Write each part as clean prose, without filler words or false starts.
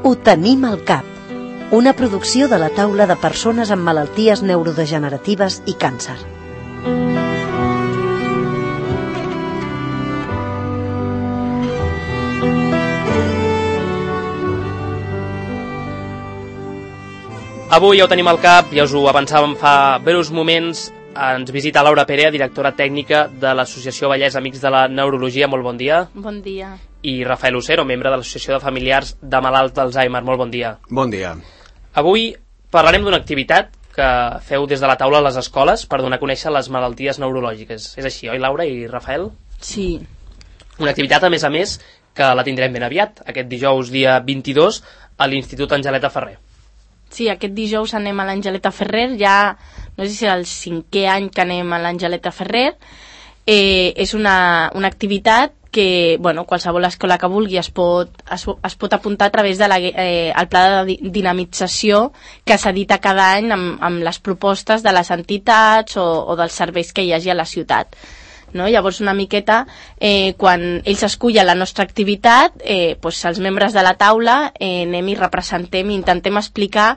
Ho tenim al cap. Una producció de la taula de persones amb malalties neurodegeneratives i càncer. Avui ja ho tenim al cap, ja us ho avançàvem fa breus moments. Ens visita Laura Perea, directora tècnica de l'Associació Vallès Amics de la Neurologia. Molt bon dia. Bon dia. I Rafael Lucero, membre de l'Associació de Familiars de Malalts d'Alzheimer. Molt bon dia. Bon dia. Avui parlarem d'una activitat que feu des de la taula a les escoles per donar a conèixer les malalties neurològiques. És així, oi, Laura i Rafael? Sí. Una activitat, a més, que la tindrem ben aviat, aquest dijous, dia 22, a l'Institut Angeleta Ferrer. Sí, aquest dijous anem a l'Angeleta Ferrer, ja no sé si és el 5è any que anem a l'Angeleta Ferrer. És una activitat que qualsevol escola que vulgui es pot apuntar a través del pla de dinamització que s'edita cada any amb les propostes de les entitats o dels serveis que hi hagi a la ciutat. No? Llavors una miqueta quan ells escullen la nostra activitat, els membres de la taula anem i representem i intentem explicar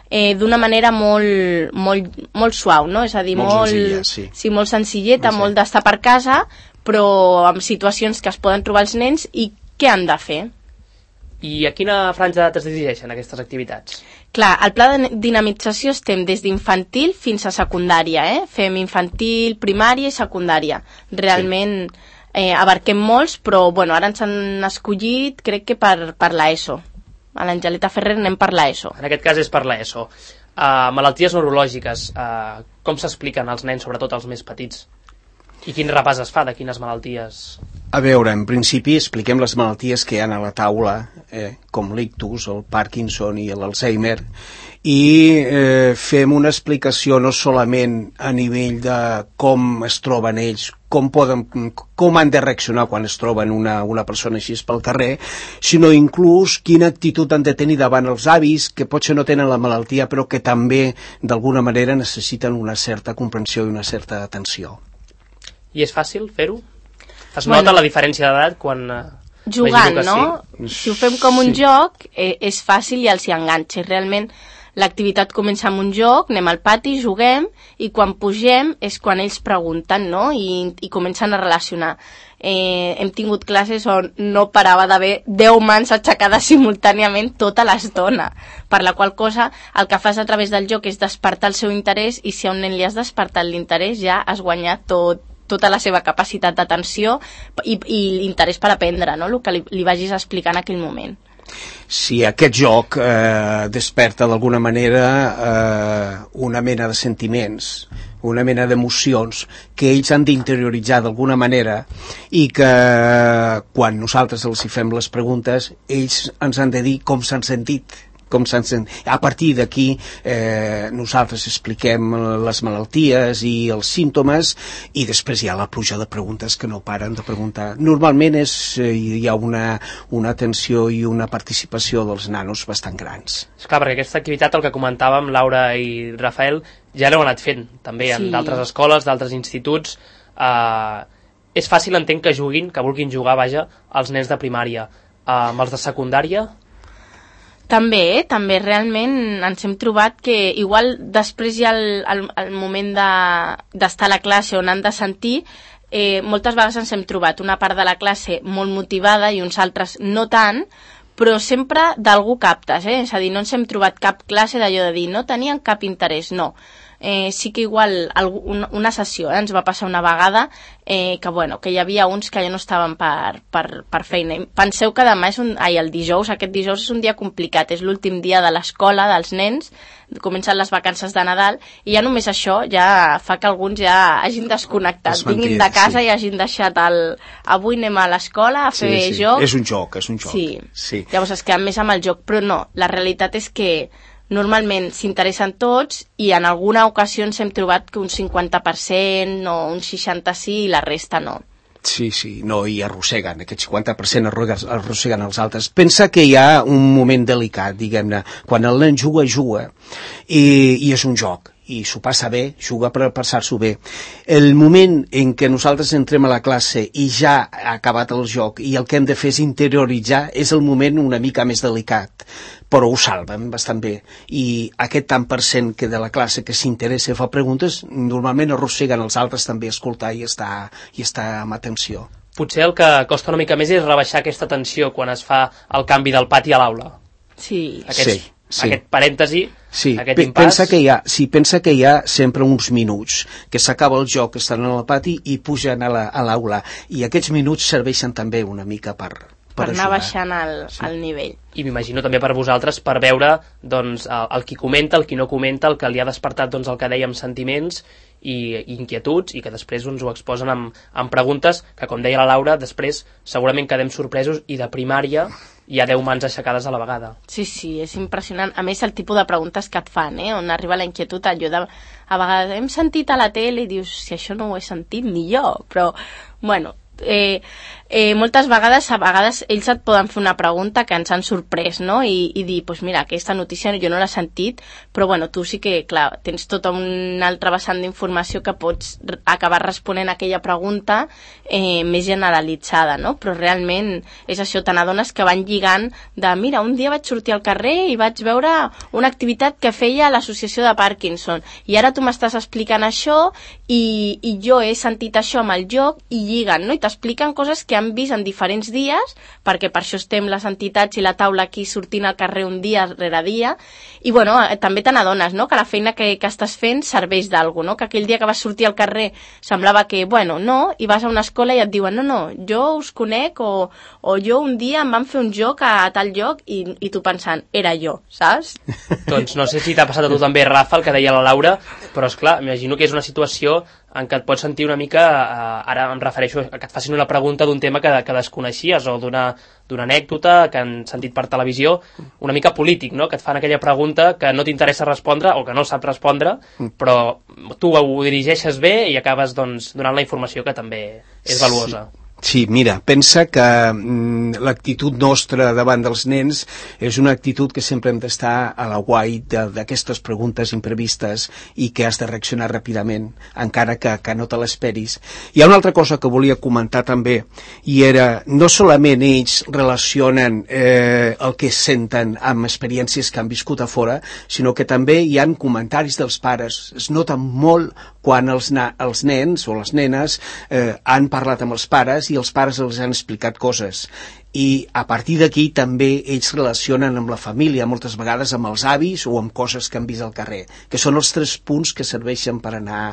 d'una manera molt suau, no? És a dir, molt senzilleta, molt d'estar per casa, però amb situacions que es poden trobar els nens i què han de fer. I a quina franja d'edat es dirigeixen aquestes activitats? Clar, al pla de dinamització estem des d'infantil fins a secundària, Fem infantil, primària i secundària. Realment abarquem molts, però ara ens han escollit, crec que per l'ESO. A l'Angeleta Ferrer anem per l'ESO. En aquest cas és per l'ESO. Malalties neurològiques, com s'expliquen als nens, sobretot als més petits? I quin repàs es fa de quines malalties? A veure, en principi expliquem les malalties que hi ha a la taula, com l'ictus, el Parkinson i l'Alzheimer, i fem una explicació no solament a nivell de com es troben ells, com han de reaccionar quan es troben una persona així pel carrer, sinó inclús quina actitud han de tenir davant els avis, que potser no tenen la malaltia, però que també d'alguna manera necessiten una certa comprensió i una certa atenció. I és fàcil fer-ho? Es nota la diferència d'edat quan... Jugant, no? Si ho fem com un joc, és fàcil i els hi enganxa. Realment l'activitat comença amb un joc, anem al pati, juguem, i quan pugem és quan ells pregunten, no? I comencen a relacionar. Hem tingut classes on no parava d'haver 10 mans aixecades simultàniament tota l'estona, per la qual cosa el que fas a través del joc és despertar el seu interès, i si a un nen li has despertat l'interès ja has guanyat tota la seva capacitat d'atenció i l'interès per aprendre, no? El que li vagis explicar en aquell moment. Si aquest joc desperta d'alguna manera una mena de sentiments, una mena d'emocions que ells han d'interioritzar d'alguna manera, i que quan nosaltres els hi fem les preguntes ells ens han de dir com s'han sentit. A partir d'aquí nosaltres expliquem les malalties i els símptomes, i després hi ha la pluja de preguntes que no paren de preguntar. Normalment hi ha una atenció i una participació dels nanos bastant grans. Esclar, perquè aquesta activitat, el que comentàvem Laura i Rafael, ja l'heu anat fent també en d'altres escoles, d'altres instituts. És fàcil, entenc, que vulguin jugar, els nens de primària. Amb els de secundària... També realment ens hem trobat que igual després hi ha el moment d'estar a la classe on han de sentir. Moltes vegades ens hem trobat una part de la classe molt motivada i uns altres no tant, però sempre d'algú captes, és a dir, no ens hem trobat cap classe d'allò de dir no tenien cap interès, no. Sí que igual una sessió ens va passar una vegada que hi havia uns que ja no estaven per feina. Penseu que demà aquest dijous és un dia complicat, és l'últim dia de l'escola dels nens, comencen les vacances de Nadal, i ja només això ja fa que alguns ja hagin desconnectat, vinguin de casa i hagin deixat avui anem a l'escola a fer joc. És un joc. Sí. Llavors es queden més amb el joc, però no, la realitat és que normalment s'interessen tots, i en alguna ocasió ens hem trobat que un 50% o un 60% sí i la resta no. Sí, no, i arrosseguen, aquest 50% arrosseguen els altres. Pensa que hi ha un moment delicat, diguem-ne, quan el nen juga, i és un joc, i s'ho passa bé, juga per passar-s'ho bé. El moment en què nosaltres entrem a la classe i ja ha acabat el joc i el que hem de fer és interioritzar, és el moment una mica més delicat, però ho salven bastant bé. I aquest tant per cent que de la classe que s'interessa i fa preguntes, normalment arrosseguen els altres també a escoltar i estar amb atenció. Potser el que costa una mica més és rebaixar aquesta tensió quan es fa el canvi del pati a l'aula. Sí. Aquest parèntesi, sí. Aquest impàs... Pensa que hi ha sempre uns minuts que s'acaba el joc, estan al pati i pugen a l'aula, i aquests minuts serveixen també una mica per anar baixant el nivell. I m'imagino també per vosaltres, per veure doncs, el qui comenta, el qui no comenta, el que li ha despertat doncs, el que dèiem, sentiments i inquietuds, i que després ens ho exposen amb preguntes que, com deia la Laura, després segurament quedem sorpresos, i de primària hi ha 10 mans aixecades a la vegada. Sí, és impressionant. A més, el tipus de preguntes que et fan, on arriba la inquietud, a vegades hem sentit a la tele i dius, si això no ho he sentit ni jo, però, bueno, moltes vegades ells et poden fer una pregunta que ens han sorprès, no? I dir, doncs mira, aquesta notícia jo no l'he sentit, però bueno, tu sí que, clar, tens tota una altra vessant d'informació que pots acabar responent a aquella pregunta més generalitzada, no? Però realment és això, te n'adones que van lligant de, mira, un dia vaig sortir al carrer i vaig veure una activitat que feia l'associació de Parkinson, i ara tu m'estàs explicant això i jo he sentit això amb el joc, i lliguen, no? I t'expliquen coses que han vist en diferents dies, perquè per això estem les entitats i la taula aquí sortint al carrer un dia rere dia, i bueno, també te n'adones, no?, que la feina que estàs fent serveix d'alguna, no?, que aquell dia que vas sortir al carrer semblava que, bueno, no, i vas a una escola i et diuen, no, jo us conec, o jo un dia em van fer un joc a tal lloc, i tu pensant, era jo, saps? Doncs no sé si t'ha passat a tu també, Rafa, el que deia la Laura, però esclar, m'imagino que és una situació en què et pots sentir una mica, ara em refereixo a que et facin una pregunta d'un tema que desconeixies, o d'una anècdota que han sentit per televisió, una mica polític, no?, que et fan aquella pregunta que no t'interessa respondre o que no saps respondre, però tu ho dirigeixes bé i acabes doncs, donant la informació que també és valuosa. Sí, mira, pensa que l'actitud nostra davant dels nens és una actitud que sempre hem d'estar a la guai d'aquestes preguntes imprevistes i que has de reaccionar ràpidament, encara que no te l'esperis. Hi ha una altra cosa que volia comentar també, i era, no solament ells relacionen el que senten amb experiències que han viscut a fora, sinó que també hi han comentaris dels pares. Es nota molt quan els nens o les nenes han parlat amb els pares i els pares els han explicat coses. I a partir d'aquí també ells relacionen amb la família, moltes vegades amb els avis o amb coses que han vist al carrer, que són els 3 punts que serveixen per anar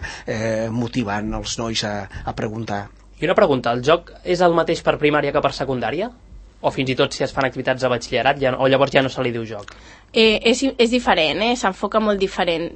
motivant els nois a preguntar. I una pregunta, el joc és el mateix per primària que per secundària? O fins i tot si es fan activitats de batxillerat, o llavors ja no se li diu joc? És diferent, s'enfoca molt diferent.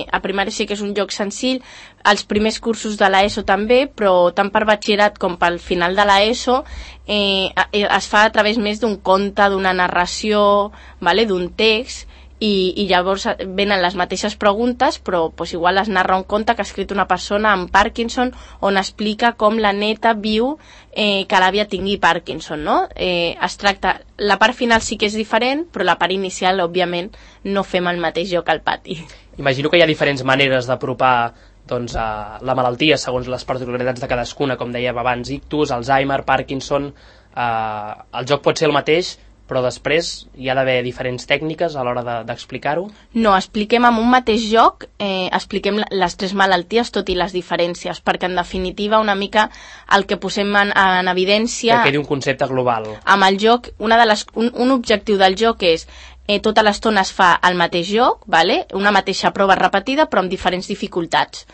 A primària sí que és un joc senzill, als primers cursos de l'ESO també, però tant per batxillerat com pel final de l'ESO es fa a través més d'un conte, d'una narració, d'un text, i llavors venen les mateixes preguntes, però igual es narra un conte que ha escrit una persona amb Parkinson, on explica com la neta viu que l'àvia tingui Parkinson, no? Es tracta, la part final sí que és diferent, però la part inicial, òbviament, no fem el mateix joc al pati. Imagino que hi ha diferents maneres d'apropar doncs, la malaltia segons les particularitats de cadascuna, com dèiem abans, ictus, Alzheimer, Parkinson. El joc pot ser el mateix, però després hi ha d'haver diferents tècniques a l'hora d'explicar-ho? No, expliquem amb un mateix joc, expliquem les 3 malalties, tot i les diferències, perquè en definitiva una mica el que posem en evidència... Que quedi un concepte global. Amb el joc, un objectiu del joc és tota l'estona es fa el mateix joc, una mateixa prova repetida però amb diferents dificultats.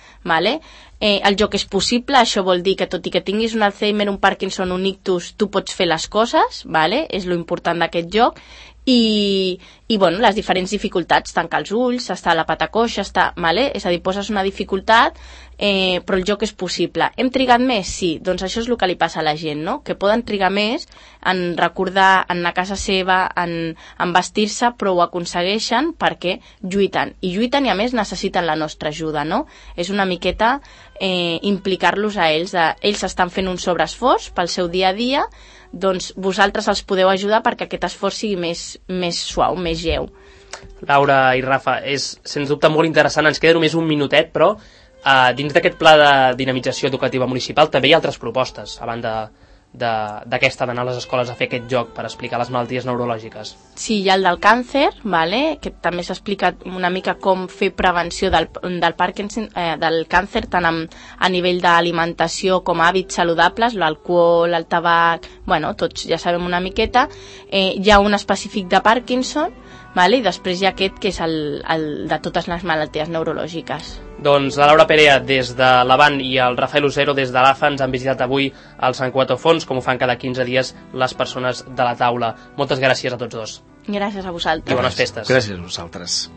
El joc és possible, això vol dir que tot i que tinguis un Alzheimer, un Parkinson, un ictus, tu pots fer les coses, és lo important d'aquest joc, i les diferents dificultats, tancar els ulls, estar a la pata coixa, és a dir, poses una dificultat, però el joc és possible. Hem trigat més? Sí, doncs això és el que li passa a la gent, no? Que poden trigar més en recordar, en anar a casa seva, en vestir-se, però ho aconsegueixen perquè lluiten, i a més necessiten la nostra ajuda, no? És una miqueta implicar-los a ells, ells estan fent un sobreesforç pel seu dia a dia, doncs vosaltres els podeu ajudar perquè aquest esforç sigui més suau, més lleu. Laura i Rafa, és sens dubte molt interessant. Ens queda només un minutet, però dins d'aquest pla de dinamització educativa municipal també hi ha altres propostes, a banda d'aquesta d'anar a les escoles a fer aquest joc per explicar les malalties neurològiques. Sí, hi ha el del càncer, vale? Que també s'explica una mica com fer prevenció del Parkinson, del càncer, tant a nivell d'alimentació com hàbits saludables, l'alcohol, el tabac, bueno, tots ja sabem una miqueta. Hi ha un específic de Parkinson, vale? I després hi ha aquest que és el de totes les malalties neurològiques. Doncs la Laura Perea des de l'Avant i el Rafael Usero des de l'AFA ens han visitat avui al Sant Cuatro Fons, com ho fan cada 15 dies les persones de la taula. Moltes gràcies a tots dos. Gràcies a vosaltres. I bones festes. Gràcies a vosaltres.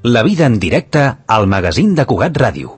La vida en directe al magazín de Cugat Ràdio.